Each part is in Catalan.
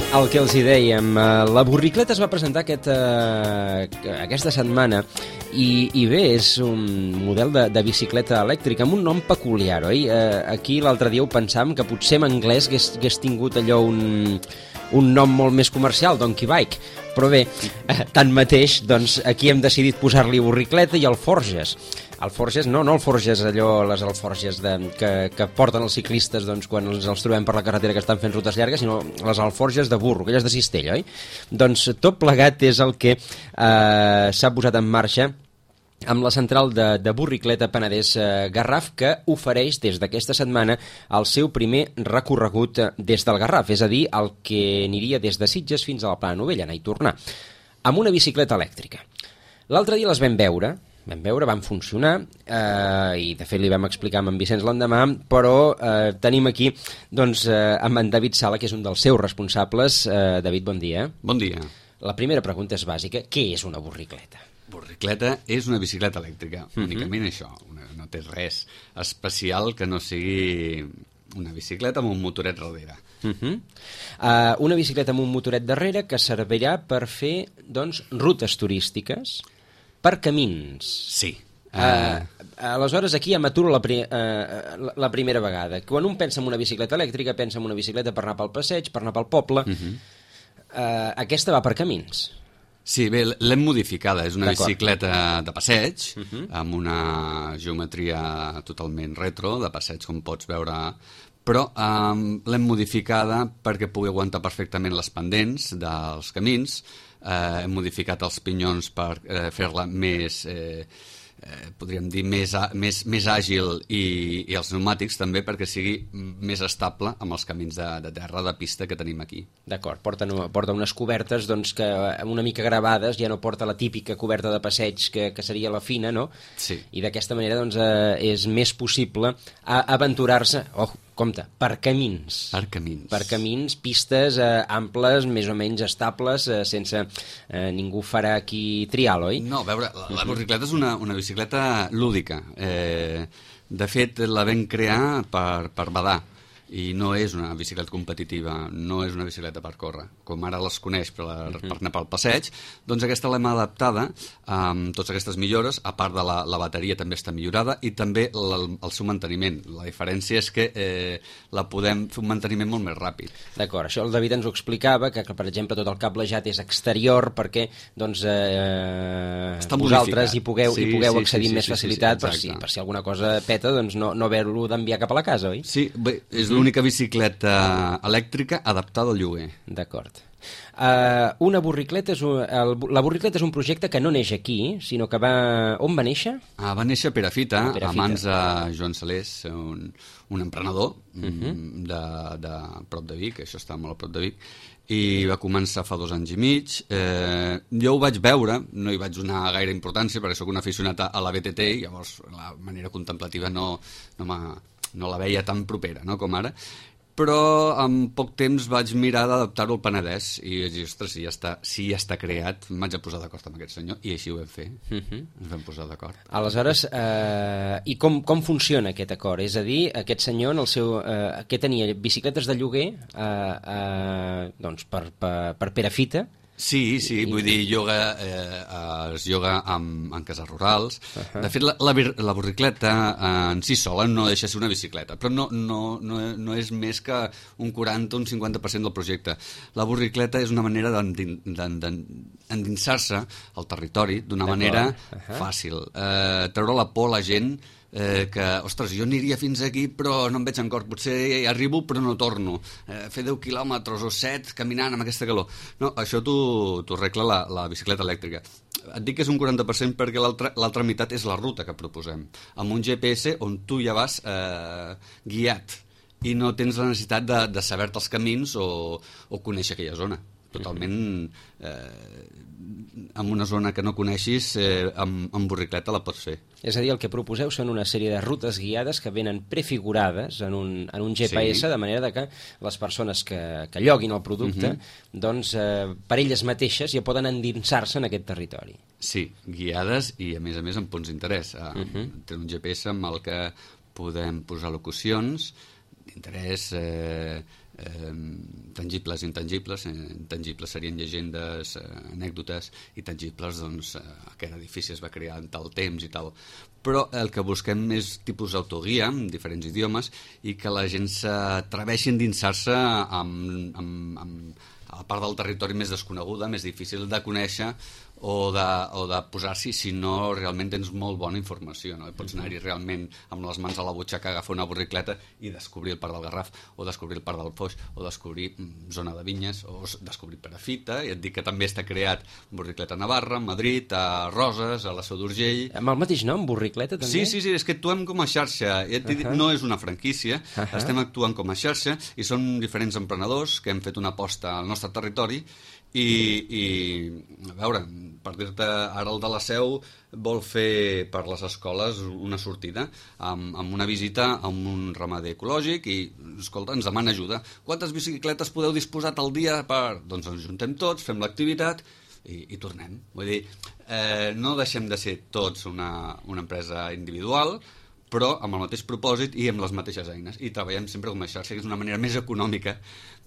El que els hi dèiem, la Burricleta es va presentar aquesta setmana i bé, és un model de bicicleta elèctrica amb un nom peculiar, oi? Aquí l'altre dia ho pensàvem que potser en anglès hagués tingut allò un nom molt més comercial, Donkey Bike, però bé, tanmateix, doncs aquí hem decidit posar-li Burricleta i Alforges. Alforges, no el Forges, allò, les alforges que porten els ciclistes doncs, quan els trobem per la carretera que estan fent rutes llargues, sinó les alforges de burro, aquelles de cistella, oi? Doncs tot plegat és el que s'ha posat en marxa amb la central de Burricleta Penedès Garraf, que ofereix des d'aquesta setmana el seu primer recorregut des del Garraf, és a dir, el que aniria des de Sitges fins a la Plana Novella, anar i tornar, amb una bicicleta elèctrica. L'altre dia les vam veure, van funcionar, i de fet li vam explicar amb en Vicenç l'endemà, però tenim aquí doncs, amb en David Sala, que és un dels seus responsables. David, bon dia. Bon dia. La primera pregunta és bàsica. Què és una burricleta? Burricleta és una bicicleta elèctrica, únicament això. No té res especial que no sigui una bicicleta amb un motoret darrere. Una bicicleta amb un motoret darrere que servirà per fer doncs, rutes turístiques per camins. Sí. Aleshores, aquí ja m'aturo la primera vegada. Quan un pensa en una bicicleta elèctrica, pensa en una bicicleta per anar pel passeig, per anar pel poble. Aquesta va per camins. Sí, bé, l'hem modificada. És una bicicleta de passeig, amb una geometria totalment retro, de passeig, com pots veure, però l'hem modificada perquè pugui aguantar perfectament les pendents dels camins. Hem modificat els pinyons per fer-la més, podríem dir, més àgil i els pneumàtics també perquè sigui més estable amb els camins de terra, de pista que tenim aquí. D'acord, porta unes cobertes doncs, que una mica gravades, ja no porta la típica coberta de passeig que seria la fina, no? Sí. I d'aquesta manera doncs, és més possible aventurar-se, compte, per camins. Per camins. Per camins, pistes amples, més o menys estables, sense ningú farà aquí trial, oi? No, a veure, la burricleta és una bicicleta lúdica. De fet, la vam crear per badar. I no és una bicicleta competitiva, no és una bicicleta per córrer, com ara les coneix per anar pel passeig. Doncs aquesta l'hem adaptada amb totes aquestes millores, a part de la bateria també està millorada i també el seu manteniment. La diferència és que la podem fer un manteniment molt més ràpid. D'acord, això el David ens ho explicava, que per exemple tot el cablejat és exterior perquè doncs, vosaltres hi pugueu accedir amb més facilitat per si alguna cosa peta doncs no haver-lo d'enviar cap a la casa, oi? Sí, bé, és l'única bicicleta elèctrica adaptada al lloguer. D'acord. La burricleta és un projecte que no neix aquí, sinó que on va néixer? Va néixer a Perafita, a mans de Joan Salés, un emprenedor de prop de Vic, això està molt a prop de Vic, i va començar fa 2 anys i mig. Jo ho vaig veure, no hi vaig donar gaire importància perquè sóc un aficionat a la BTT i llavors la manera contemplativa no la veia tan propera, no, com ara, però en poc temps vaig mirar d'adaptar-ho al Penedès i vaig dir, ostres, si ja està creat, em vaig a posar d'acord amb aquest senyor i així ho vam fer, ens vam posar d'acord. Aleshores, i com funciona aquest acord? És a dir, aquest senyor que tenia bicicletes de lloguer doncs per Perafita. Sí, vull dir, es lloga en cases rurals. De fet, la burricleta en si sola no deixa de ser una bicicleta, però no és més que un 40 o un 50% del projecte. La burricleta és una manera d'endinsar-se al territori d'una manera fàcil. Treure la por a la gent que, ostres, jo aniria fins aquí però no em veig en cor, potser arribo però no torno, fer 10 quilòmetres o 7 caminant amb aquesta calor. No, això t'ho arregla la bicicleta elèctrica. Et dic que és un 40% perquè l'altra meitat és la ruta que proposem, amb un GPS on tu ja vas guiat i no tens la necessitat de saber-te els camins o conèixer aquella zona. Totalment en una zona que no coneixis, amb burricleta la pots fer. És a dir, el que proposeu són una sèrie de rutes guiades que venen prefigurades en un GPS, de manera que les persones que lloguin el producte, doncs, per elles mateixes ja poden endinsar-se en aquest territori. Sí, guiades i a més amb punts d'interès. Té un GPS amb el que podem posar locucions d'interès, tangibles i intangibles. Intangibles serien llegendes, anècdotes, i tangibles, doncs, aquest edifici es va crear en tal temps i tal. Però el que busquem és tipus d'autoguia, amb diferents idiomes, i que la gent s'atreveixi a endinsar-se amb a la part del territori més desconeguda, més difícil de conèixer o de posar-s'hi si no realment tens molt bona informació, no? Pots anar-hi realment amb les mans a la butxaca, agafar una borricleta i descobrir el Parc del Garraf, o descobrir el Parc del Foix, o descobrir zona de vinyes, o descobrir Perafita. I et dic que també està creat borricleta a Navarra, a Madrid, a Roses, a la Seu d'Urgell. Amb el mateix nom, borricleta, també? Sí, és que actuem com a xarxa. No és una franquícia, estem actuant com a xarxa i són diferents emprenedors que hem fet una aposta al nostre territori i a veure, per dir-te, ara el de la Seu vol fer per les escoles una sortida amb una visita a un ramader ecològic i, escolta, ens demana ajuda. Quantes bicicletes podeu disposar al dia per...? Doncs ens juntem tots, fem l'activitat i tornem. Vull dir, no deixem de ser tots una empresa individual, però amb el mateix propòsit i amb les mateixes eines. I treballem sempre com a xarxa, que és una manera més econòmica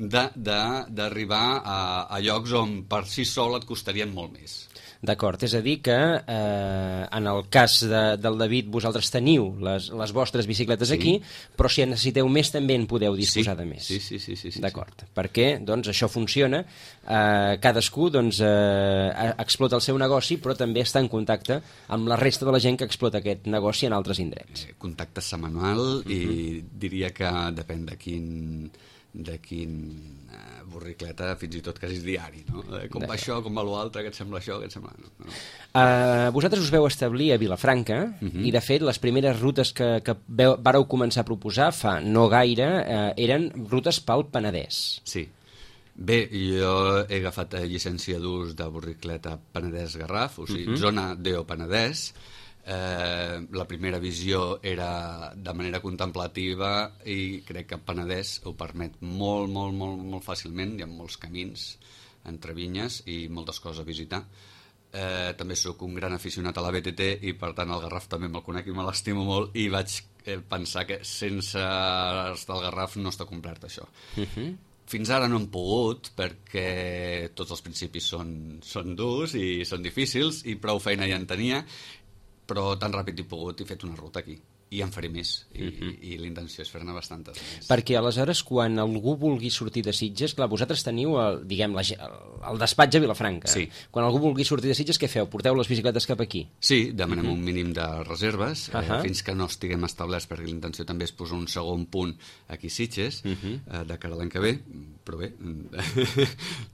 d'arribar a llocs on per si sol et costarien molt més. D'acord, és a dir que en el cas del David vosaltres teniu les vostres bicicletes aquí, però si en necessiteu més també en podeu disposar de més. Sí. D'acord, perquè doncs, això funciona, cadascú doncs, explota el seu negoci, però també està en contacte amb la resta de la gent que explota aquest negoci en altres indrets. Contacte setmanal i diria que depèn de quin borricleta, fins i tot quasi diari, no? Com va això, com va l'altre, què et sembla això, què et sembla... No. Vosaltres us veu establir a Vilafranca i, de fet, les primeres rutes que vàreu començar a proposar fa no gaire eren rutes pel Penedès. Sí. Bé, jo he agafat llicència d'ús de borricleta Penedès-Garraf, o sigui, zona DO Penedès. La primera visió era de manera contemplativa i crec que Penedès ho permet molt fàcilment. Hi ha molts camins entre vinyes i moltes coses a visitar. També sóc un gran aficionat a la BTT i per tant el Garraf també me'l conec i me l'estimo molt i vaig pensar que sense estar al Garraf no està complert això. Fins ara no hem pogut perquè tots els principis són durs i són difícils i prou feina ja en tenia, però tan ràpid he pogut i he fet una ruta aquí. I en faré més, i la intenció és fer-ne bastantes més. Perquè aleshores, quan algú vulgui sortir de Sitges, clar, vosaltres teniu el despatx a Vilafranca. Sí. Quan algú vulgui sortir de Sitges, què feu? Porteu les bicicletes cap aquí? Sí, demanem un mínim de reserves, fins que no estiguem establerts, perquè la intenció també és posar un segon punt aquí a Sitges, de cara a l'any que ve, però bé,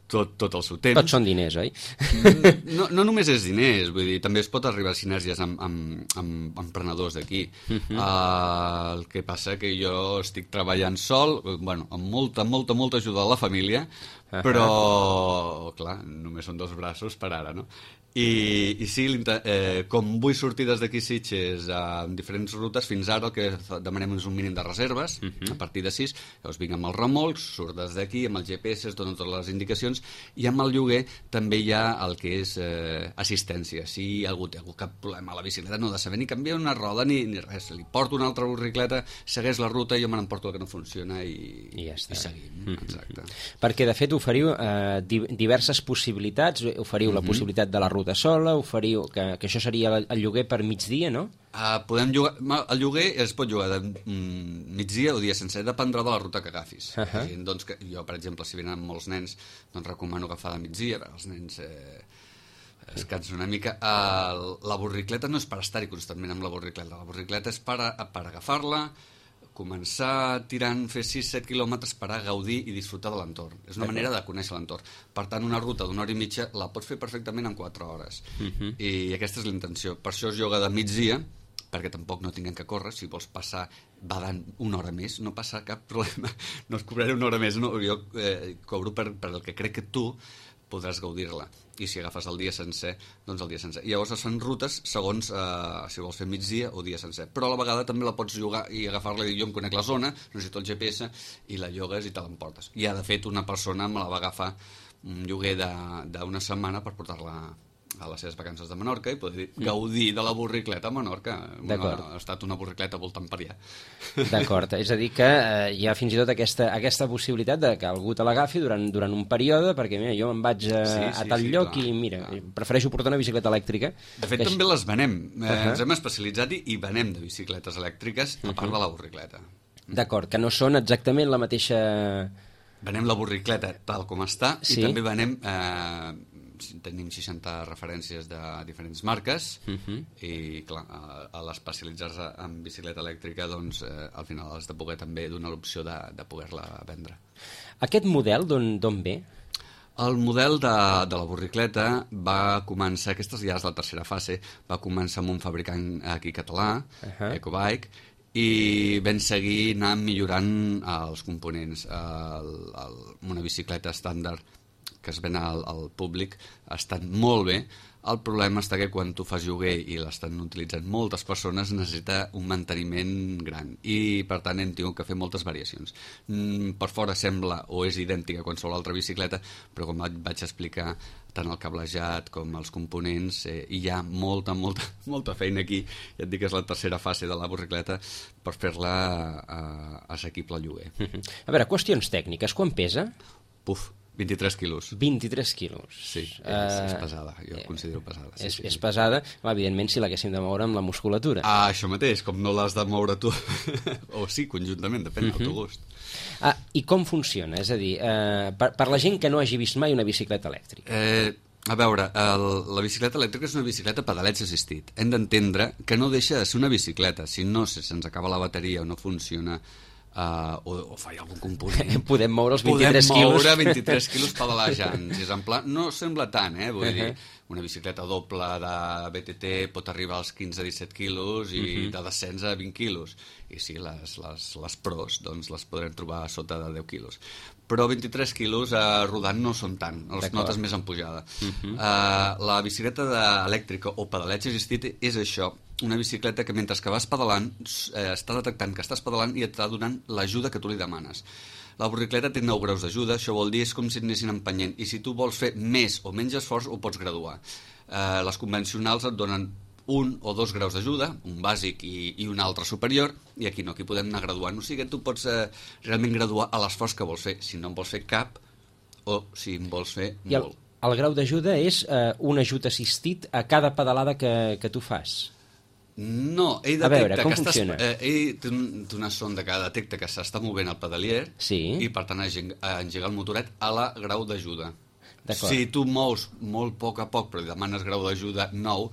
tot el seu temps. Tots són diners, oi? No només és diners, vull dir, també es pot arribar a sinergies amb emprenedors d'aquí. El que passa que jo estic treballant sol, amb molta ajuda de la família, però, clar, només són 2 braços per ara, no? I sí, com vull sortir des d'aquí Sitges en diferents rutes, fins ara el que demanem és un mínim de reserves, a partir de 6, llavors vinc amb els remolcs, surt des d'aquí, amb el GPS, dono totes les indicacions, i amb el lloguer també hi ha el que és assistència. Si algú té cap problema a la bicicleta, no ha de saber ni canviar una roda ni res, li porto una altra borricleta, segueix la ruta, jo me n'emporto el que no funciona i ja està. I seguim. Exacte. Perquè, de fet, oferiu diverses possibilitats, oferiu la possibilitat de la ruta sola, oferiu que això seria el lloguer per migdia, no? Podem llogar, el lloguer es pot llogar de migdia o dia sencer, dependrà de la ruta que agafis. Doncs jo, per exemple, si venen molts nens, doncs recomano agafar de migdia, els nens es cansen una mica. La borricleta no és per estar-hi constantment amb la borricleta és per agafar-la, començar tirant, fer 6-7 quilòmetres per a gaudir i disfrutar de l'entorn. És una manera de conèixer l'entorn. Per tant, una ruta d'1 hora i mitja la pots fer perfectament en 4 hores. I aquesta és la intenció. Per això es lloga de migdia, perquè tampoc no tinguem que córrer. Si vols passar badant 1 hora més, no passa cap problema. No es cobraré 1 hora més. No, jo cobro per el que crec que tu podràs gaudir-la. I si agafes el dia sencer, doncs el dia sencer. I llavors es fan rutes segons si vols fer migdia o dia sencer. Però a la vegada també la pots llogar i agafar-la i dir, jo em conec la zona, necessito el GPS, i la llogues i te l'emportes. I de fet una persona me la va agafar un lloguer d'una setmana per portar-la a les seves vacances de Menorca i poder gaudir de la borricleta a Menorca. Ha estat una borricleta voltant per allà. D'acord, és a dir que hi ha fins i tot aquesta possibilitat de que algú te l'agafi durant un període, perquè mira, jo me'n vaig a tal lloc i mira, prefereixo portar una bicicleta elèctrica. De fet, també les venem. Ens hem especialitzat i venem de bicicletes elèctriques a part de la borricleta. D'acord, que no són exactament la mateixa... Venem la borricleta tal com està i també venem... tenim 60 referències de diferents marques i clar, a l'especialitzar-se en bicicleta elèctrica doncs al final has de poder també donar l'opció de poder-la vendre. Aquest model d'on ve? El model de la borricleta va començar, aquesta ja és la tercera fase, va començar amb un fabricant aquí català, Ecobike, i vam seguir anant millorant els components. Una bicicleta estàndard que es ven al públic ha estat molt bé. El problema està que quan tu fas lloguer i l'estan utilitzant moltes persones necessita un manteniment gran i per tant hem tingut que fer moltes variacions. Per fora sembla o és idèntica a qualsevol altra bicicleta, però com vaig explicar, tant el cablejat com els components, hi ha molta feina aquí. Ja et dic que és la tercera fase de la borricleta per fer-la assequible al lloguer. A veure, qüestions tècniques, quan pesa? 23 quilos. 23 quilos. Sí, és pesada, jo la considero pesada. És pesada, evidentment, si l'haguéssim de moure amb la musculatura. Això mateix, com no l'has de moure tu. O sí, conjuntament, depèn del teu gust. I com funciona? És a dir, per la gent que no hagi vist mai una bicicleta elèctrica. A veure, la bicicleta elèctrica és una bicicleta pedaleig assistit. Hem d'entendre que no deixa de ser una bicicleta. Si no se'ns acaba la bateria o no funciona... o falla algun component. Podem moure els 23 quilos. Podem moure 23 quilos pedalejant. Si és en pla, no sembla tant, vull dir, una bicicleta doble de BTT pot arribar als 15-17 quilos i de descens a 20 quilos. I sí, les pros doncs les podrem trobar a sota de 10 quilos. Però 23 quilos rodant no són tant, els notes més en pujada. La bicicleta elèctrica o pedaleig assistit és això, una bicicleta que mentre que vas pedalant està detectant que estàs pedalant i et està donant l'ajuda que tu li demanes. La borricleta té 9 graus d'ajuda, això vol dir és com si et anessin empenyent, i si tu vols fer més o menys esforç ho pots graduar. Les convencionals et donen 1 o 2 graus d'ajuda, un bàsic i un altre superior, i aquí no, aquí podem anar graduant. O sigui que tu pots realment graduar a l'esforç que vols fer, si no en vols fer cap o si en vols fer molt. El grau d'ajuda és un ajut assistit a cada pedalada que tu fas. No, ell detecta que funciona? Ell té una sonda que detecta que s'està movent el pedalier i per tant engega el motoret a la grau d'ajuda. Si tu mous molt poc a poc però demanes grau d'ajuda 9,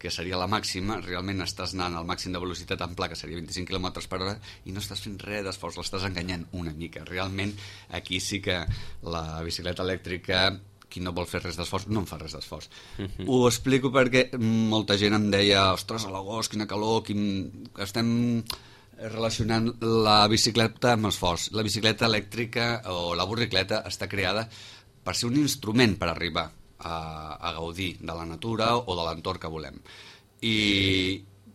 que seria la màxima, realment estàs anant al màxim de velocitat en pla, que seria 25 km per hora, i no estàs fent res d'esforç, l'estàs enganyant una mica. Realment aquí sí que la bicicleta elèctrica, qui no vol fer res d'esforç, no en fa res d'esforç. Ho explico perquè molta gent em deia ostres, a l'agost, quina calor, estem relacionant la bicicleta amb esforç. La bicicleta elèctrica o la borricleta està creada per ser un instrument per arribar a gaudir de la natura o de l'entorn que volem. I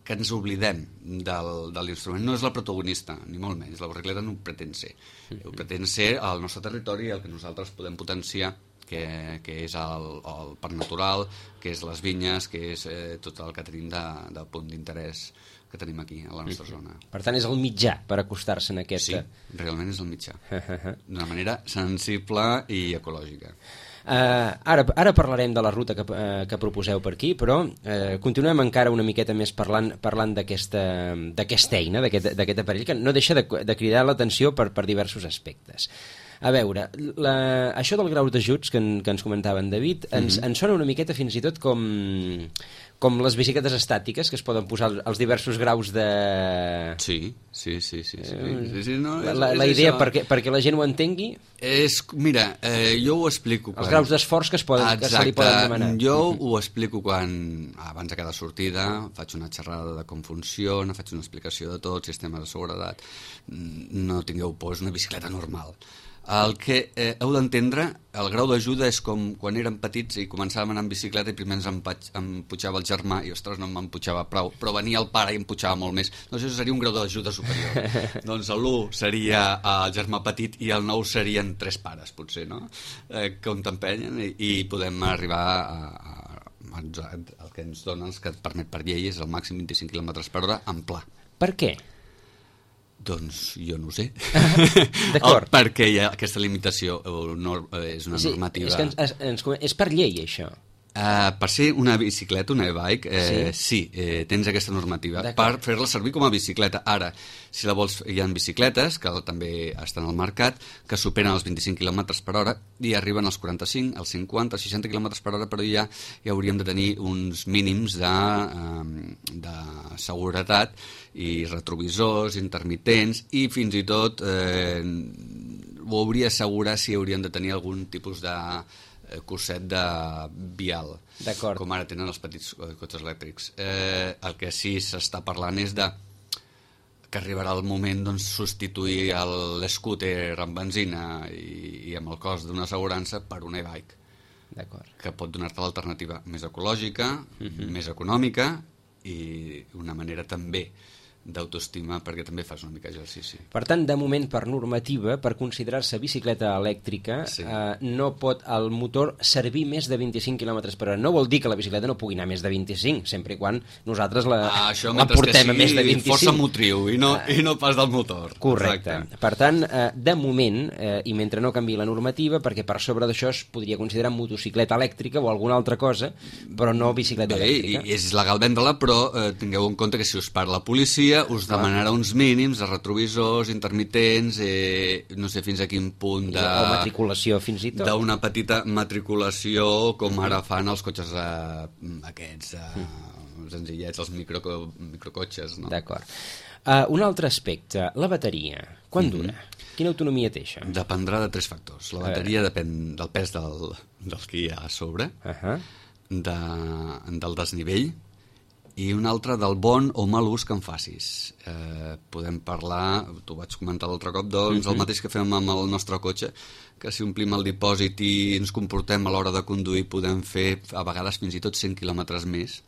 que ens oblidem de l'instrument. No és la protagonista, ni molt menys. La borricleta no ho pretén ser. Ho pretén ser el nostre territori, el que nosaltres podem potenciar, que és el parc natural, que és les vinyes, que és tot el que tenim de punt d'interès que tenim aquí, a la nostra zona. Per tant, és el mitjà per acostar-se en aquest... Sí, realment és el mitjà. D'una manera sensible i ecològica. Ara parlarem de la ruta que proposeu per aquí, però continuem encara una miqueta més parlant d'aquesta eina, d'aquest aparell, que no deixa de cridar l'atenció per diversos aspectes. A veure, això del grau d'ajuts que ens comentava en David ens sona una miqueta fins i tot com les bicicletes estàtiques, que es poden posar els diversos graus de... Sí. La idea, perquè la gent ho entengui... Mira, jo ho explico... Els graus d'esforç que se li poden demanar. Jo ho explico quan, abans de cada sortida, faig una xerrada de com funciona, faig una explicació de tot, sistema de seguretat. No tingueu por, és una bicicleta normal. El que heu d'entendre, el grau d'ajuda és com quan érem petits i començàvem a anar en bicicleta i primer ens emputjava el germà i ostres, no m'emputjava prou, però venia el pare i emputjava molt més. Doncs això seria un grau d'ajuda superior. Doncs l'1 seria el germà petit i el 9 serien 3 pares, potser, no? Que on t'empenyen i podem arribar El que ens donen, que et permet per llei, és el màxim 25 km/h en pla. Per què? Doncs jo no ho sé. D'acord. Per què hi ha aquesta limitació? És una normativa... És per llei, això. Per ser una bicicleta, una e-bike, sí, tens aquesta normativa per fer-la servir com a bicicleta. Ara, si la vols, hi ha bicicletes que també estan al mercat que superen els 25 km/h i arriben als 45, als 50, als 60 km/h, però ja hauríem de tenir uns mínims de seguretat i retrovisors intermitents, i fins i tot ho hauria d'assegurar si haurien de tenir algun tipus de curset de vial, com ara tenen els petits cotxes elèctrics. El que sí s'està parlant és que arribarà el moment substituir l'scooter amb benzina i amb el cost d'una assegurança per una e-bike, que pot donar-te l'alternativa més ecològica, més econòmica i una manera també d'autoestima, perquè també fas una mica d'exercici. Per tant, de moment, per normativa, per considerar-se bicicleta elèctrica, no pot el motor servir més de 25 km/h. No vol dir que la bicicleta no pugui anar més de 25, sempre i quan nosaltres la portem a més de 25. Això, força motriu i no pas del motor. Correcte. Per tant, de moment, i mentre no canviï la normativa, perquè per sobre d'això es podria considerar motocicleta elèctrica o alguna altra cosa, però no bicicleta elèctrica. És legal vendre-la, però tingueu en compte que si us para la policia us demanarà uns mínims de retrovisors intermitents, no sé fins a quin punt o matriculació fins i tot, d'una petita matriculació, com ara fan els cotxes aquests senzillets, els microcotxes, no? D'acord. Un altre aspecte, la bateria, quan dura? Quina autonomia té això? Dependrà de 3 factors. La bateria depèn del pes del que hi ha a sobre, del desnivell, i un altre del bon o mal ús que en facis. Podem parlar, t'ho vaig comentar l'altre cop, doncs el mateix que fem amb el nostre cotxe, que si omplim el dipòsit i ens comportem a l'hora de conduir, podem fer a vegades fins i tot 100 quilòmetres més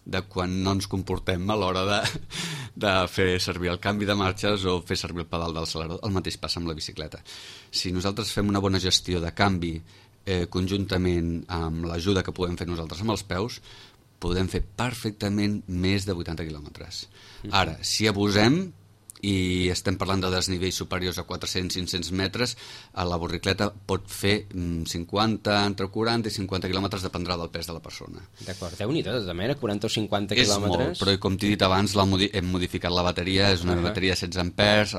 de quan no ens comportem a l'hora de fer servir el canvi de marxes o fer servir el pedal d'accelerador. El mateix passa amb la bicicleta. Si nosaltres fem una bona gestió de canvi conjuntament amb l'ajuda que podem fer nosaltres amb els peus, podem fer perfectament més de 80 quilòmetres. Ara, si abusem i estem parlant de desnivells superiors a 400-500 metres, la borricleta pot fer 50, entre 40 i 50 quilòmetres, dependrà del pes de la persona. D'acord, Déu-n'hi-do, de manera, 40 o 50 quilòmetres. És quilòmetres. molt, però com t'he dit abans, hem modificat la bateria, és una bateria de 16 ampers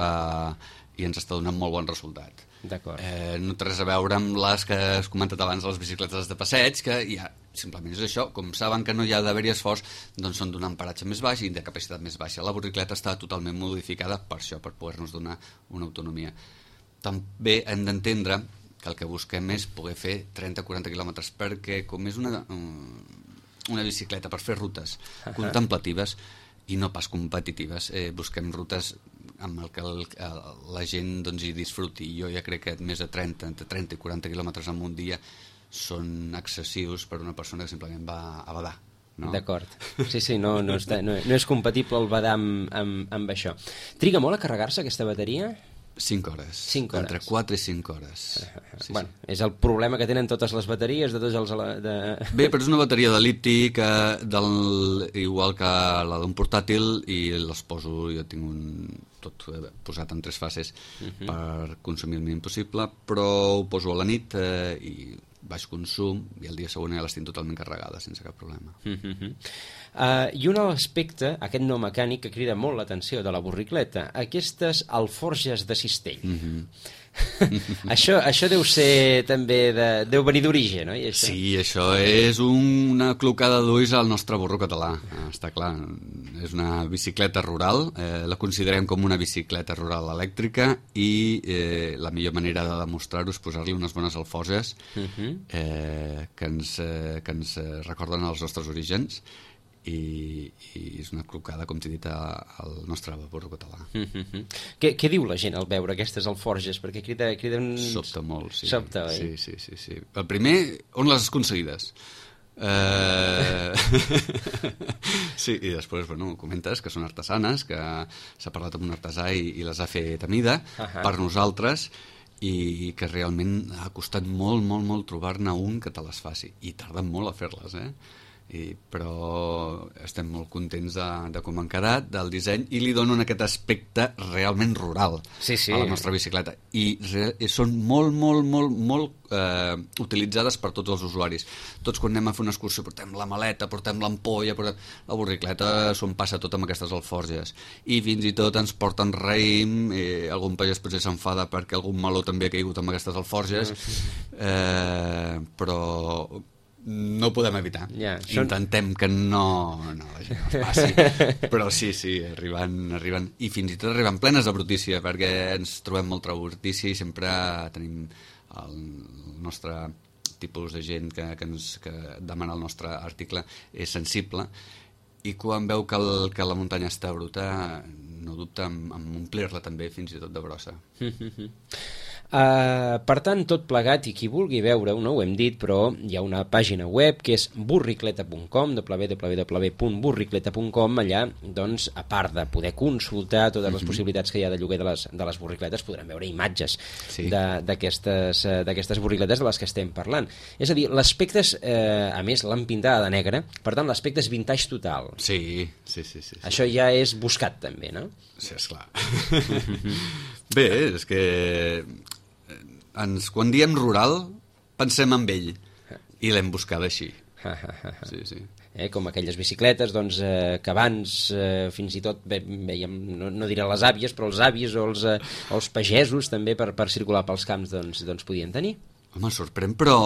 i ens està donant molt bon resultat. D'acord. No té res a veure amb les que has comentat abans, les bicicletes de passeig, que ja simplement és això, com saben que no hi ha d'haver-hi esforç, doncs són d'un emparatge més baix i de capacitat més baixa. La borricleta està totalment modificada per això, per poder-nos donar una autonomia. També hem d'entendre que el que busquem és poder fer 30-40 quilòmetres, perquè com és una bicicleta per fer rutes contemplatives i no pas competitives, busquem rutes amb el que la gent hi disfruti. Jo ja crec que més de 30 i 40 quilòmetres en un dia són excessius per una persona que simplement va a badar. No? D'acord. Sí, no és compatible el badar amb això. Triga molt a carregar-se aquesta bateria? 5 hores. 5 hores. Entre 4 i 5 hores. Bueno, és el problema que tenen totes les bateries de tots els... Bé, però és una bateria de liti igual que la d'un portàtil, i les poso, jo tinc tot posat en 3 fases per consumir el mínim possible, però ho poso a la nit i baix consum, i el dia següent ja les tinc totalment carregades sense cap problema. I un aspecte, aquest no mecànic, que crida molt l'atenció de la borricleta, aquestes alforges de cistell. Això deu ser també deu venir d'origen, oi? Això? Sí, això és una clocada d'ulls al nostre burro català, està clar. És una bicicleta rural, la considerem com una bicicleta rural elèctrica, i la millor manera de demostrar-ho és posar-li unes bones alforges que ens recorden els nostres orígens, i és una clocada, com t'he dit, al nostre burro català. Què diu la gent al veure aquestes alforges? Perquè criden... Sobta molt, sí. Sobta, oi? Sí. El primer, on les has aconseguides? Sí, i després, comentes que són artesanes, que s'ha parlat amb un artesà i les ha fet a mida per nosaltres, i que realment ha costat molt trobar-ne un que te les faci, i tarden molt a fer-les, però estem molt contents de com han quedat, del disseny, i li donen aquest aspecte realment rural a la nostra bicicleta, i són molt utilitzades per tots els usuaris. Tots quan anem a fer una excursió portem la maleta, portem l'ampolla, la borricleta s'ho passa tot amb aquestes alforges, i fins i tot ens porten raïm, algun pagès potser s'enfada perquè algun meló també ha caigut amb aquestes alforges, però no ho podem evitar. Intentem que no la gent els passi, però sí, arriben, i fins i tot arriben plenes de brutícia, perquè ens trobem molta brutícia i sempre tenim el nostre tipus de gent que demana el nostre article és sensible, i quan veu que la muntanya està bruta no dubta en omplir-la també fins i tot de brossa. Per tant, tot plegat, i qui vulgui veure-ho, no ho hem dit, però hi ha una pàgina web que és burricleta.com, www.burricleta.com. Allà, doncs, a part de poder consultar totes les possibilitats que hi ha de lloguer de les burricletes, podrem veure imatges d'aquestes burricletes de les que estem parlant. És a dir, l'aspecte, a més, l'han pintada de negre, per tant, l'aspecte és vintage total. Sí. Això ja és buscat, també, no? Sí, esclar. Bé, és que quan diem rural pensem en ell, i l'hem buscada així. Sí. Com aquelles bicicletes que abans fins i tot veiem, no diré les àvies, però els avis o els pagesos també per circular pels camps doncs podien tenir. Home, sorprèn, però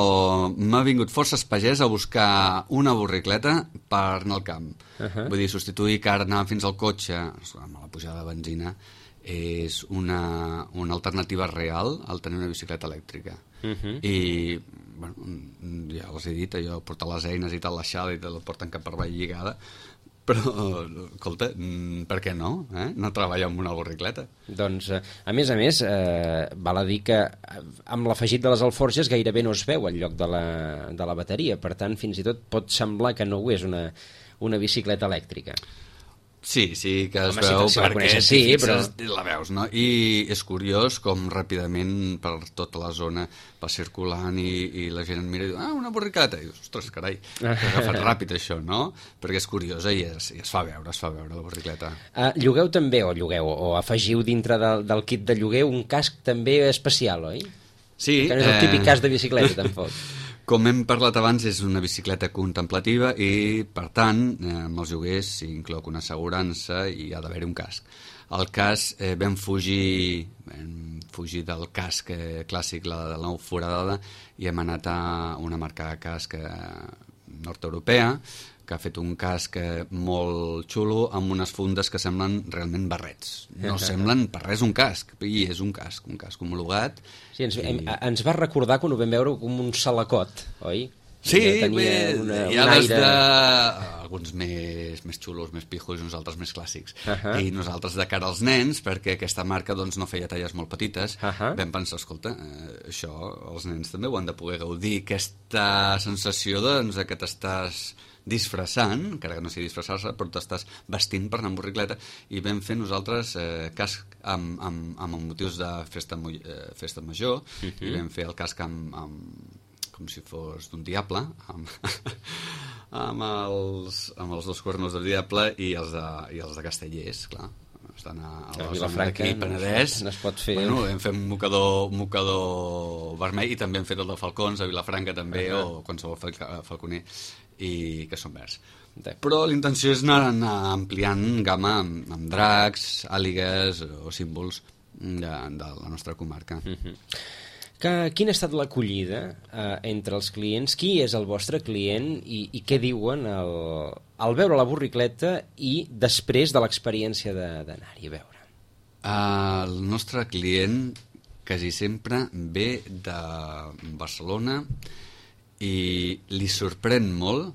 m'ha vingut forces pagès a buscar una borricleta per anar al camp. Vull dir, substituir que ara anar fins al cotxe amb la pujada de benzina és una alternativa real al tenir una bicicleta elèctrica. I bueno, ja els he dit, allò, portar les eines i tal, la xala i te la porten cap per avall lligada, però, escolta, per què no? No treballar amb una borricleta. Doncs, a més, val a dir que amb l'afegit de les alforges gairebé no es veu el lloc de la bateria, per tant, fins i tot pot semblar que no ho és una bicicleta elèctrica. Sí, que es veu perquè la veus, no? I és curiós com ràpidament per tota la zona va circulant i la gent et mira i diu, una borricleta, i dius, ostres, carai, t'ha agafat ràpid això, no? Perquè és curiosa i es fa veure la borricleta. Llogueu també, o afegiu dintre del kit de lloguer un casc també especial, oi? Sí. Que no és el típic casc de bicicleta, tampoc. Com hem parlat abans, és una bicicleta contemplativa i, per tant, amb els lloguers s'hi inclou una assegurança i ha d'haver-hi un casc. El casc vam fugir del casc clàssic, la nou foradada, i hem anat a una marca de casc nord-europea que ha fet un casc molt xulo amb unes fundes que semblen realment barrets. No semblen per res un casc, i és un casc homologat. Sí, ens va recordar quan ho vam veure com un salacot, oi? Sí, hi ha des de alguns més xulos, més pijos, i nosaltres més clàssics. I nosaltres de cara als nens, perquè aquesta marca no feia talles molt petites, vam pensar, escolta, això els nens també ho han de poder gaudir, aquesta sensació que t'estàs disfressant, encara que no sigui disfressar-se, però t'estàs vestint per anar amb borricleta, i vam fer nosaltres casc amb motius de festa major, i vam fer el casc com si fos d'un diable, amb els dos cuernos del diable i els de Castellers, clar. Estan a la zona d'aquí, Penedès. No es pot fer. Bueno, hem fet un mocador vermell, i també hem fet el de falcons a Vilafranca també, o qualsevol falconer, i que són verds. Però la intenció és anar ampliant gamma amb dracs, àligues o símbols de la nostra comarca. Quina ha estat l'acollida entre els clients? Qui és el vostre client i què diuen al veure la borricleta i després de l'experiència d'anar-hi a veure? El nostre client quasi sempre ve de Barcelona i li sorprèn molt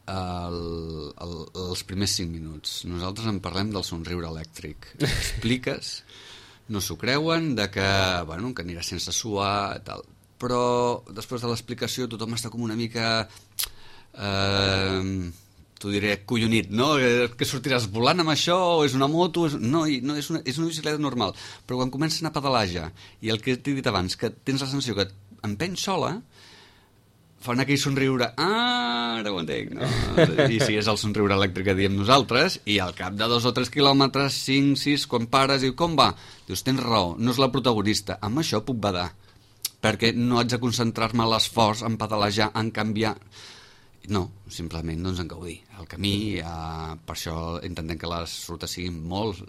els primers 5 minuts. Nosaltres en parlem del somriure elèctric. Expliques, no s'ho creuen, que anirà sense suar, tal. Però després de l'explicació tothom està com una mica, t'ho diré, collonit, no? Que sortiràs volant amb això, o és una moto? No, és una bicicleta normal. Però quan comencen a pedalar ja, i el que t'he dit abans, que tens la sensació que empeny sola, fan aquell somriure, ara ho entenc, no? I sí, és el somriure elèctric que diem nosaltres, i al cap de 2 o 3 quilòmetres, 5, 6, quan pares, i com va? Dius, tens raó, no és la protagonista, amb això puc badar, perquè no haig de concentrar-me a l'esforç, en pedalejar, en canviar... No, simplement doncs, en gaudir el camí. Per això intentem que les rutes siguin molt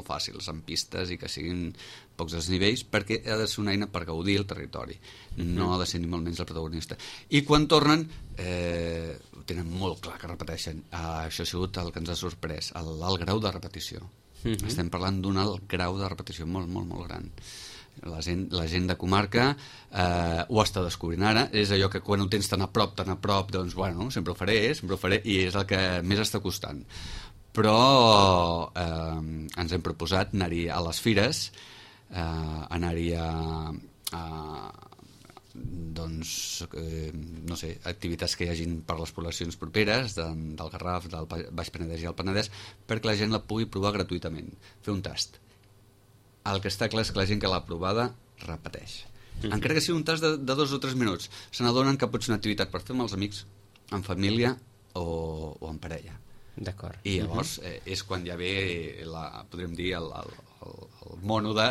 fàcils, amb pistes i que siguin pocs desnivells, perquè ha de ser una eina per gaudir el territori, no ha de ser ni molt menys el protagonista. I quan tornen ho tenen molt clar que repeteixen. Això ha sigut el que ens ha sorprès, l'alt grau de repetició. Estem parlant d'un alt grau de repetició molt gran. La gent de comarca ho està descobrint ara. És allò que quan ho tens tan a prop, doncs bueno, sempre ho faré, i és el que més està costant. Però ens hem proposat anar-hi a les fires, anar-hi doncs, no sé, activitats que hi hagin per les poblacions properes del Garraf, del Baix Penedès i el Penedès, perquè la gent la pugui provar gratuïtament, fer un tast. El que està clar és que la gent que l'ha provada repeteix. Encara que sigui un tast de 2 o 3 minuts, se n'adonen que pot ser una activitat per fer amb els amics, en família o en parella. D'acord. I llavors és quan ja ve, podríem dir, el mono de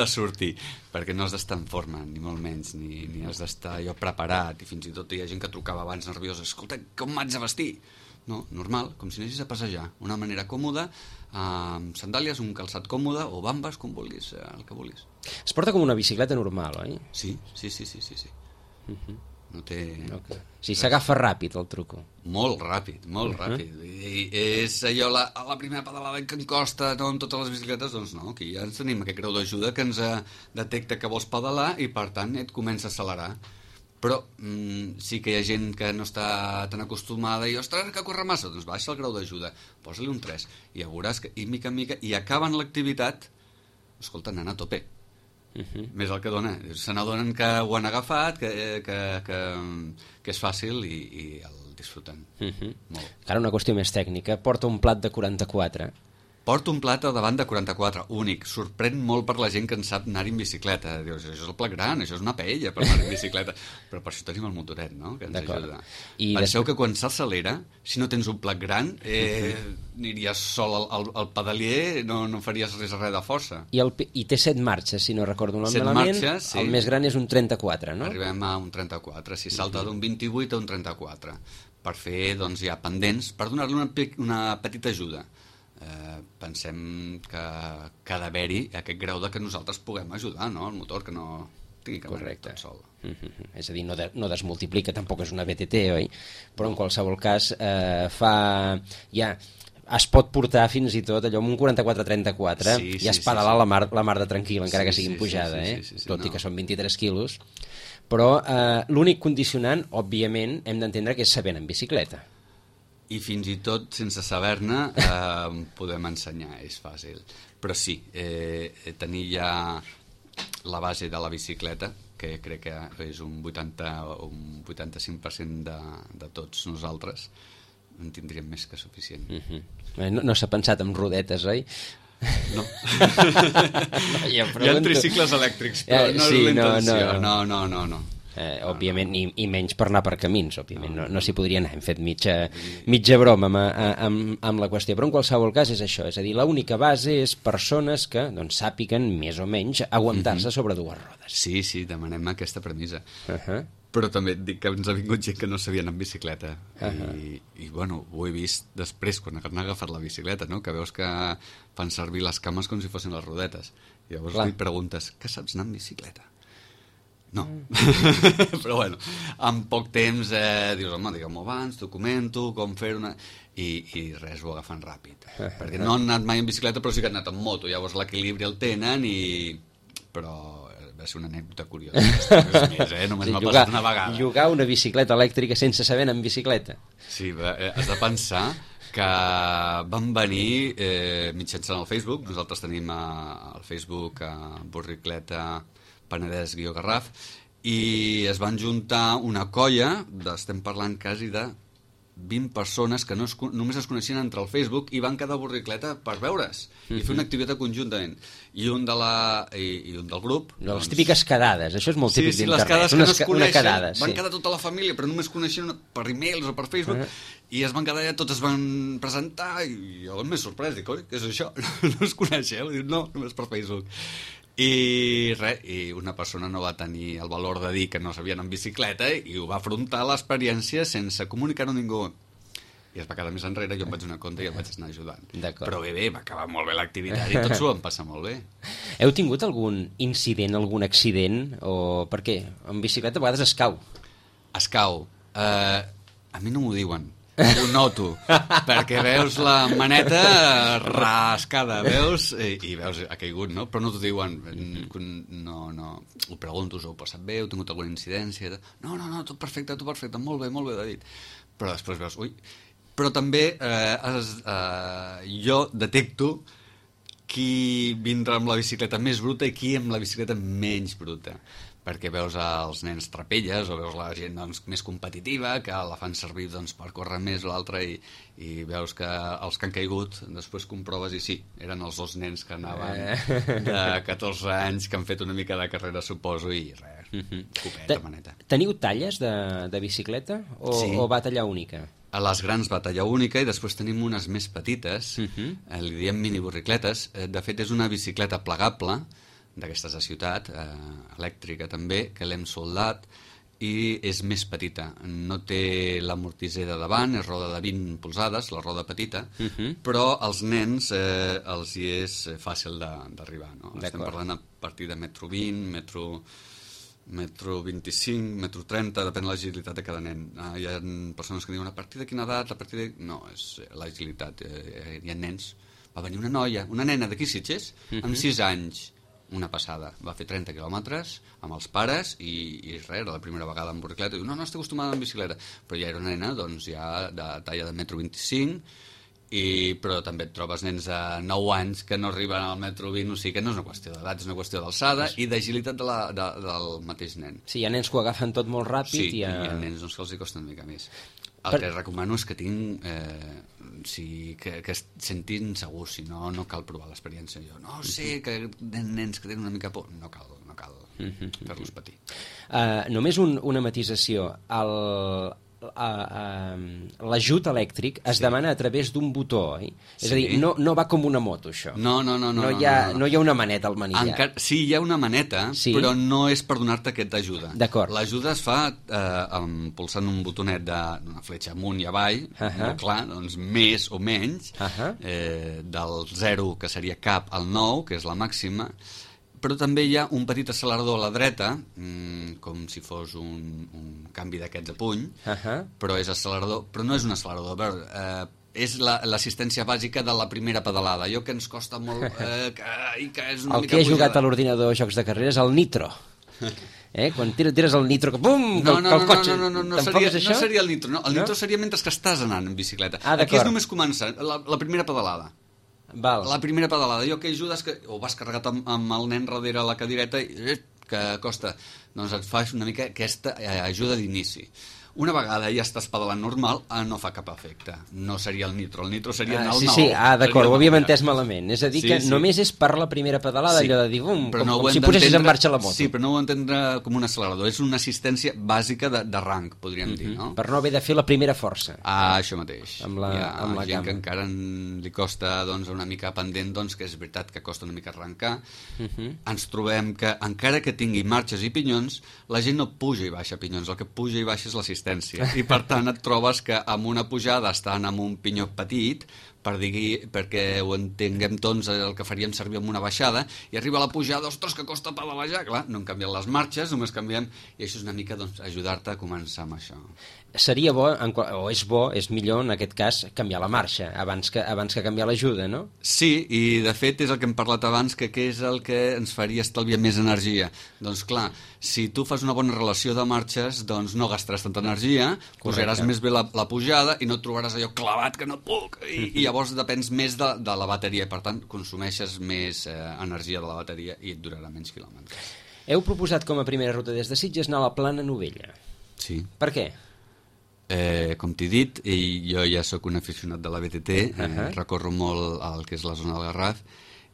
sortir, perquè no has d'estar en forma, ni molt menys, ni has d'estar allò preparat, i fins i tot hi ha gent que trucava abans nerviosa, escolta, com m'haig de vestir? No, normal, com si anessis a passejar, una manera còmoda, amb sandàlies, un calçat còmode, o bambes, com vulguis, el que vulguis. Es porta com una bicicleta normal, oi? Sí. No té... Okay. Sí, s'agafa ràpid el truco. Molt ràpid. I és allò, la primera pedalada que em costa, no, amb totes les bicicletes, doncs no, aquí ja ens tenim aquest grau d'ajuda que ens detecta que vols pedalar i per tant et comença a accelerar. Però sí que hi ha gent que no està tan acostumada i, ostres, que corre massa, doncs baixa el grau d'ajuda, posa-li un 3, i ja veuràs que, i mica en mica, i acaben l'activitat, escolta, anant a tope. Més el que dona. Se n'adonen que ho han agafat, que és fàcil i el disfruten. Molt. Ara una qüestió més tècnica. Porta un plat de 44. Porta un plat al davant de 44, únic. Sorprèn molt per la gent que en sap anar-hi en bicicleta. Dius, això és el plat gran, això és una paella per anar en bicicleta. Però per això tenim el motoret, no?, que ens ajuda. Penseu que quan s'accelera, si no tens un plat gran, aniries sol al pedalier, no faries res de força. I té 7 marxes, si no recordo malament. 7 marxes, sí. El més gran és un 34, no? Arribem a un 34, si salta d'un 28 a un 34, per fer, doncs, ja pendents, per donar-li una petita ajuda. Pensem que ha d'haver-hi aquest grau de que nosaltres puguem ajudar, no?, el motor, que no tingui que venir tot sol. És a dir, no desmultiplica, tampoc és una BTT, oi? Però en qualsevol cas es pot portar fins i tot allò amb un 44-34, i es pedalar la mar de tranquil, encara que sigui en pujada, tot i que són 23 quilos. Però l'únic condicionant, òbviament, hem d'entendre que és saber anar en bicicleta. I fins i tot, sense saber-ne, podem ensenyar, és fàcil. Però sí, tenir ja la base de la bicicleta, que crec que és un 80 o un 85% de tots nosaltres, en tindríem més que suficient. No s'ha pensat en rodetes, oi? No. Hi ha tricicles elèctrics, però no és la intenció. No. Òbviament, i menys per anar per camins, òbviament, no s'hi podria anar. Hem fet mitja broma amb la qüestió, però en qualsevol cas és això, és a dir, l'única base és persones que sàpiguen més o menys aguantar-se sobre 2 rodes. Sí, demanem aquesta premissa. Però també et dic que ens ha vingut gent que no sabia anar en bicicleta, i bueno, ho he vist després quan han agafat la bicicleta, no?, que veus que fan servir les cames com si fossin les rodetes, i llavors li preguntes, què saps anar en bicicleta? No. Però bueno, en poc temps dius, home, digue'm-ho abans, documento, com fer-ho, i res, ho agafen ràpid. Perquè no han anat mai en bicicleta, però sí que han anat en moto, llavors l'equilibri el tenen, però va ser una anècdota curiosa. Només m'ha passat una vegada. Llogar una bicicleta elèctrica sense saber anar en bicicleta. Sí, has de pensar que van venir mitjançant el Facebook. Nosaltres tenim al Facebook Borricleta Penedès-Garraf, i es van juntar una colla, estem parlant quasi de 20 persones que només es coneixien entre el Facebook i van quedar a Borricleta per veure's i fer una activitat conjuntament. I un del grup... Les típiques quedades, això és molt típic d'internet. les quedades que no es coneixen, van quedar tota la família, però només coneixien per e-mails o per Facebook, i es van quedar allà, totes van presentar, i jo m'he sorprès, dic, oi, què és això? No es coneixeu? Dic, no, només per Facebook. I una persona no va tenir el valor de dir que no sabien en bicicleta i ho va afrontar l'experiència sense comunicar-ho a ningú. I es va quedar més enrere, jo em vaig donar compte i el vaig anar ajudant. Però bé, va acabar molt bé l'activitat i tot s'ho vam passar molt bé. Heu tingut algun incident, algun accident? O per què? En bicicleta a vegades es cau. Es cau. A mi no m'ho diuen. Ho noto, perquè veus la maneta rascada, veus, i veus, ha caigut, no? Però no t'ho diuen, no, ho pregunto, us ho heu passat bé, heu tingut alguna incidència? No, tot perfecte, molt bé, David. Però després veus, ui, però també jo detecto qui vindrà amb la bicicleta més bruta i qui amb la bicicleta menys bruta. Perquè veus els nens trapelles o veus la gent doncs, més competitiva que la fan servir doncs, per córrer més o l'altra i veus que els que han caigut després comproves i sí, eren els dos nens que anaven de 14 anys que han fet una mica de carrera, suposo, i res, copeta, maneta. Teniu talles de bicicleta o va tallar única? A les grans va tallar única i després tenim unes més petites, li diem mini borricletes. De fet és una bicicleta plegable d'aquestes de ciutat, elèctrica també, que l'hem soldat i és més petita. No té l'amortisser de davant, és roda de 20 polzades, la roda petita, però als nens els hi és fàcil d'arribar. No? Estem parlant a partir de metro 20, metro 25, metro 30, depèn de l'agilitat de cada nen. Hi ha persones que diuen a partir de quina edat, No, és l'agilitat. Hi ha nens. Va venir una noia, una nena d'aquí Sitges, amb 6 anys, una passada, va fer 30 quilòmetres amb els pares i res, era la primera vegada en borricleta, diu, no estic acostumada en bicicleta, però ja era una nena doncs ja de talla de metro 25, però també et trobes nens de 9 anys que no arriben al metro 20, o sigui que no és una qüestió d'edat, és una qüestió d'alçada i d'agilitat del mateix nen. Sí, hi ha nens que ho agafen tot molt ràpid. Sí, i hi ha nens doncs, que els hi costa una mica més. El que recomano és que tinguin que es sentin segurs, si no, no cal provar l'experiència. Jo no sé que nens que tenen una mica por, no cal fer-los patir. Només una matisació. L'ajut elèctric es demana a través d'un botó, oi? És a dir, no va com una moto, això. No hi ha una maneta al manillar. Sí, hi ha una maneta, però no és per donar-te aquesta ajuda. D'acord. L'ajuda es fa pulsant un botonet d'una fletxa amunt i avall, clar, doncs més o menys, del 0, que seria cap, al 9, que és la màxima, però també hi ha un petit accelerador a la dreta, com si fos un canvi d'aquests a puny, però és accelerador, però no és un accelerador, és l'assistència bàsica de la primera pedalada, allò que ens costa molt, que és una mica el que he jugat a l'ordinador a jocs de carreres, el nitro. Quan tires el nitro, que pum, el cotxe. No seria el nitro, no. El nitro seria mentre que estàs anant en bicicleta. Aquí és només començar, la primera pedalada. La primera pedalada, allò que ajudes que o vas carregat amb el nen darrere la cadireta que costa, doncs et fas una mica aquesta ajuda d'inici. Una vegada ja estàs pedalant normal, no fa cap efecte. No seria el nitro seria anar al 9. Sí, d'acord, ho havíem entès malament. És a dir, que només és per la primera pedalada, allò de dir, com si posessis en marxa la moto. Sí, però no ho entendre com un accelerador. És una assistència bàsica de rang, podríem dir, no? Per no haver de fer la primera força. Això mateix. Amb la gent que encara li costa una mica pendent, que és veritat que costa una mica arrencar. Ens trobem que, encara que tingui marxes i pinyons, la gent no puja i baixa pinyons. El que puja i baixa és l'assistència. I per tant et trobes que amb una pujada estan amb un pinyó petit perquè ho entenguem tots el que faríem servir amb una baixada i arriba la pujada, ostres, que costa pedalejar, clar, no hem canviat les marxes, només canviem i això és una mica ajudar-te a començar amb això. Seria bo, és millor en aquest cas canviar la marxa abans que canviar l'ajuda, no? Sí, i de fet és el que hem parlat abans, que què és el que ens faria estalviar més energia. Doncs clar, si tu fas una bona relació de marxes, doncs no gastaràs tanta energia, posaràs més bé la pujada i no et trobaràs allò clavat que no puc, i llavors depens més de la bateria, per tant consumeixes més energia de la bateria i et durarà menys quilòmetres. Heu proposat com a primera ruta des de Sitges anar a la Plana Novella. Sí. Per què? Com t'he dit, jo ja sóc un aficionat de la BTT, recorro molt el que és la zona del Garraf,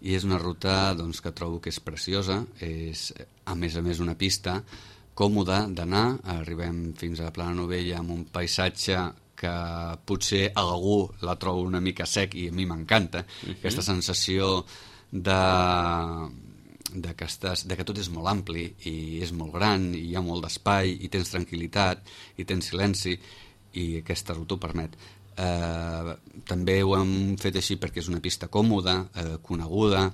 i és una ruta doncs, que trobo que és preciosa, és a més una pista còmoda d'anar, arribem fins a Plana Novella amb un paisatge que potser algú la troba una mica sec i a mi m'encanta, aquesta sensació que tot és molt ampli i és molt gran i hi ha molt d'espai i tens tranquil·litat i tens silenci i aquesta ruta ho permet. També ho hem fet així perquè és una pista còmoda, coneguda,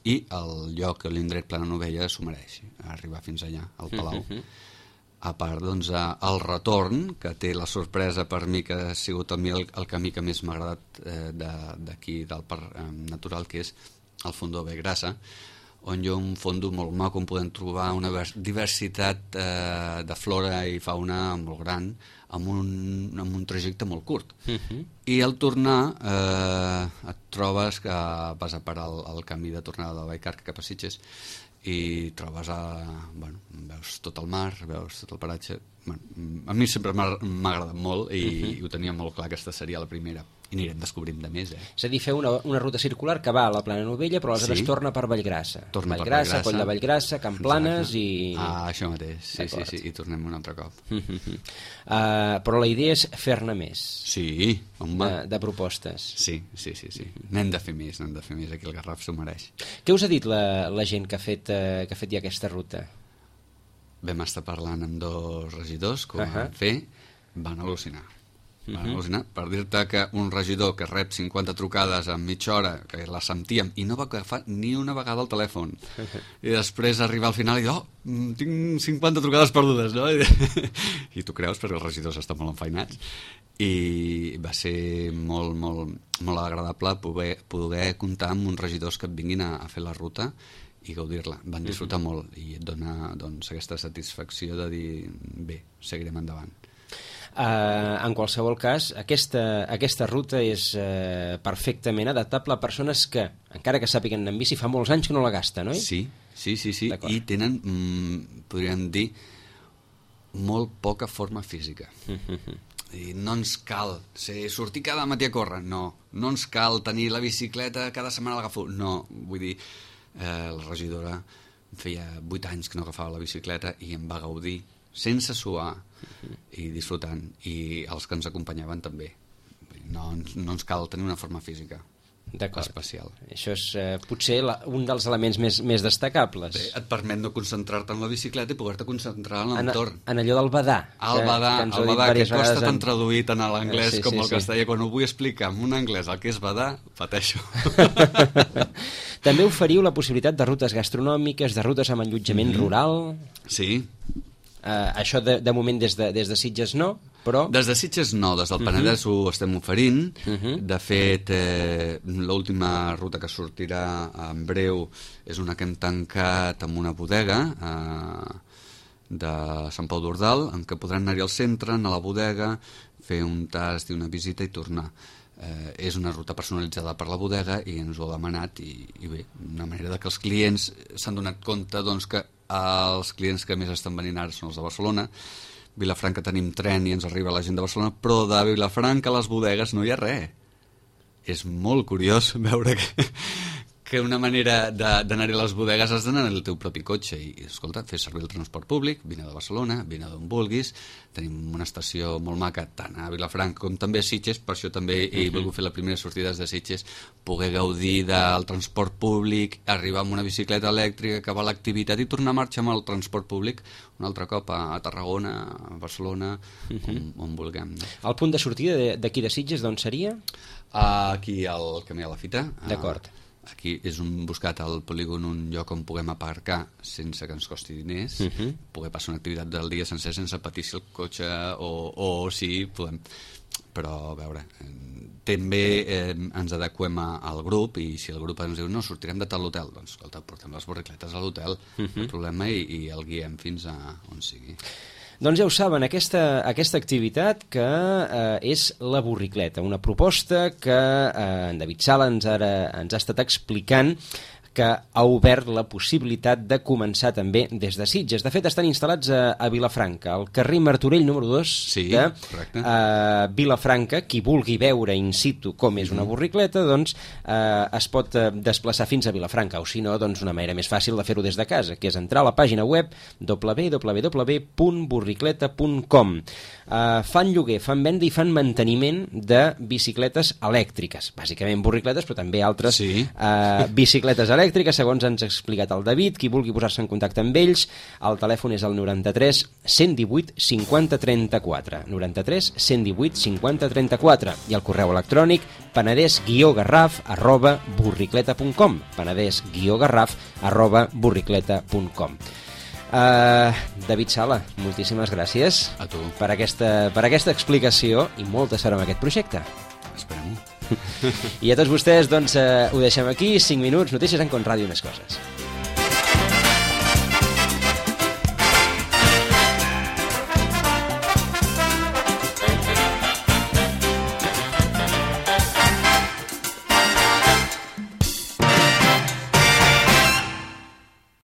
i el lloc, l'indret Plana Novella s'ho mereix, arribar fins allà, al Palau. A part, doncs, el retorn, que té la sorpresa per mi, que ha sigut el camí que més m'ha agradat d'aquí, del Parc Natural, que és el Fondó Vallgrassa, on hi ha un fondo molt maco on podem trobar una diversitat de flora i fauna molt gran amb un trajecte molt curt. I al tornar et trobes que vas a parar el camí de tornada de Vallcarca cap a Sitges i trobes veus tot el mar, veus tot el paratge. A mi sempre m'ha agradat molt i ho tenia molt clar que aquesta seria la primera. I anirem descobrint de més, És a dir, fer una ruta circular que va a la Plana Novella, però aleshores torna per Vallgrassa. Vallgrassa, Coll de Vallgrassa, Can Planes i... això mateix, sí, i tornem un altre cop. Però la idea és fer-ne més. Sí, home. De propostes. Sí. N'hem de fer més, aquí el Garraf s'ho mereix. Què us ha dit la gent que ha fet ja aquesta ruta? Vam estar parlant amb 2 regidors que ho van fer, van al·lucinar. Per dir-te que un regidor que rep 50 trucades en mitja hora, que la sentíem, i no va agafar ni una vegada el telèfon, i després arribar al final i dir, tinc 50 trucades perdudes, no? I tu creus, perquè els regidors estan molt enfeinats, i va ser molt agradable poder comptar amb uns regidors que et vinguin a fer la ruta i gaudir-la. Van disfrutar molt i et dona aquesta satisfacció de dir, bé, seguirem endavant. En qualsevol cas, aquesta ruta és perfectament adaptable a persones que, encara que sàpiguen anar en bici, fa molts anys que no la gasten, oi? Sí. I tenen, podríem dir, molt poca forma física. I no ens cal sortir cada matí a córrer, no ens cal tenir la bicicleta cada setmana l'agafo, no, vull dir, la regidora feia 8 anys que no agafava la bicicleta i em va gaudir sense suar i disfrutant, i els que ens acompanyaven també. No ens cal tenir una forma física especial. Això és potser un dels elements més destacables. Bé, et permet no concentrar-te en la bicicleta i poder-te concentrar en l'entorn. En allò del badar. El badar, que costa tan traduït en l'anglès com el castellà. Quan ho vull explicar en un anglès el que és badar, pateixo. També oferiu la possibilitat de rutes gastronòmiques, de rutes amb allotjament rural. Sí. Això de moment des de Sitges no, però... Des de Sitges no, des del Penedès ho estem oferint. De fet, l'última ruta que sortirà en breu és una que hem tancat amb una bodega de Sant Pau d'Ordal, en què podran anar-hi al centre, anar a la bodega, fer un tast i una visita i tornar. És una ruta personalitzada per la bodega i ens ho ha demanat i bé, una manera que els clients s'han donat compte que els clients que més estan venint ara són els de Barcelona. Vilafranca tenim tren i ens arriba la gent de Barcelona, però de Vilafranca a les bodegues no hi ha res. És molt curiós veure que una manera d'anar-hi a les bodegues has d'anar en el teu propi cotxe i, escolta, fes servir el transport públic, vine de Barcelona, vine d'on vulguis. Tenim una estació molt maca tant a Vilafranca com també a Sitges, per això també he volgut fer la primera sortida de Sitges, poder gaudir del transport públic, arribar amb una bicicleta elèctrica, acabar l'activitat i tornar a marxar amb el transport públic un altre cop a Tarragona, a Barcelona, on vulguem. El punt de sortida d'aquí de Sitges d'on seria? Aquí al Camí de la Fita. D'acord. Aquí és buscat al polígon un lloc on puguem aparcar sense que ens costi diners, poder passar una activitat del dia sencer sense patir si el cotxe o si podem. Però, a veure, també ens adequem al grup i si el grup ens diu no, sortirem de tal hotel, doncs escolta, portem les borricletes a l'hotel, el problema, i el guiem fins a on sigui. Doncs ja ho saben, aquesta activitat que és la borricleta, una proposta que en David Sala ens ha estat explicant, que ha obert la possibilitat de començar també des de Sitges. De fet, estan instal·lats a Vilafranca, al carrer Martorell número 2 de Vilafranca. Qui vulgui veure in situ com és una borricleta, doncs es pot desplaçar fins a Vilafranca, o si no, doncs una manera més fàcil de fer-ho des de casa, que és entrar a la pàgina web www.burricleta.com. Fan lloguer, fan venda i fan manteniment de bicicletes elèctriques, bàsicament borricletes, però també altres bicicletes elèctriques, segons ens ha explicat el David. Qui vulgui posar-se en contacte amb ells, el telèfon és el 93 118 50 34, 93 118 50 34, i el correu electrònic penedès-garraf@burricleta.com, penedès-garraf@burricleta.com. David Sala, moltíssimes gràcies a tu per aquesta explicació i molta sort amb aquest projecte. Esperem-ho. I a tots vostès, doncs, ho deixem aquí. 5 minuts, notícies en Con Ràdio i més coses.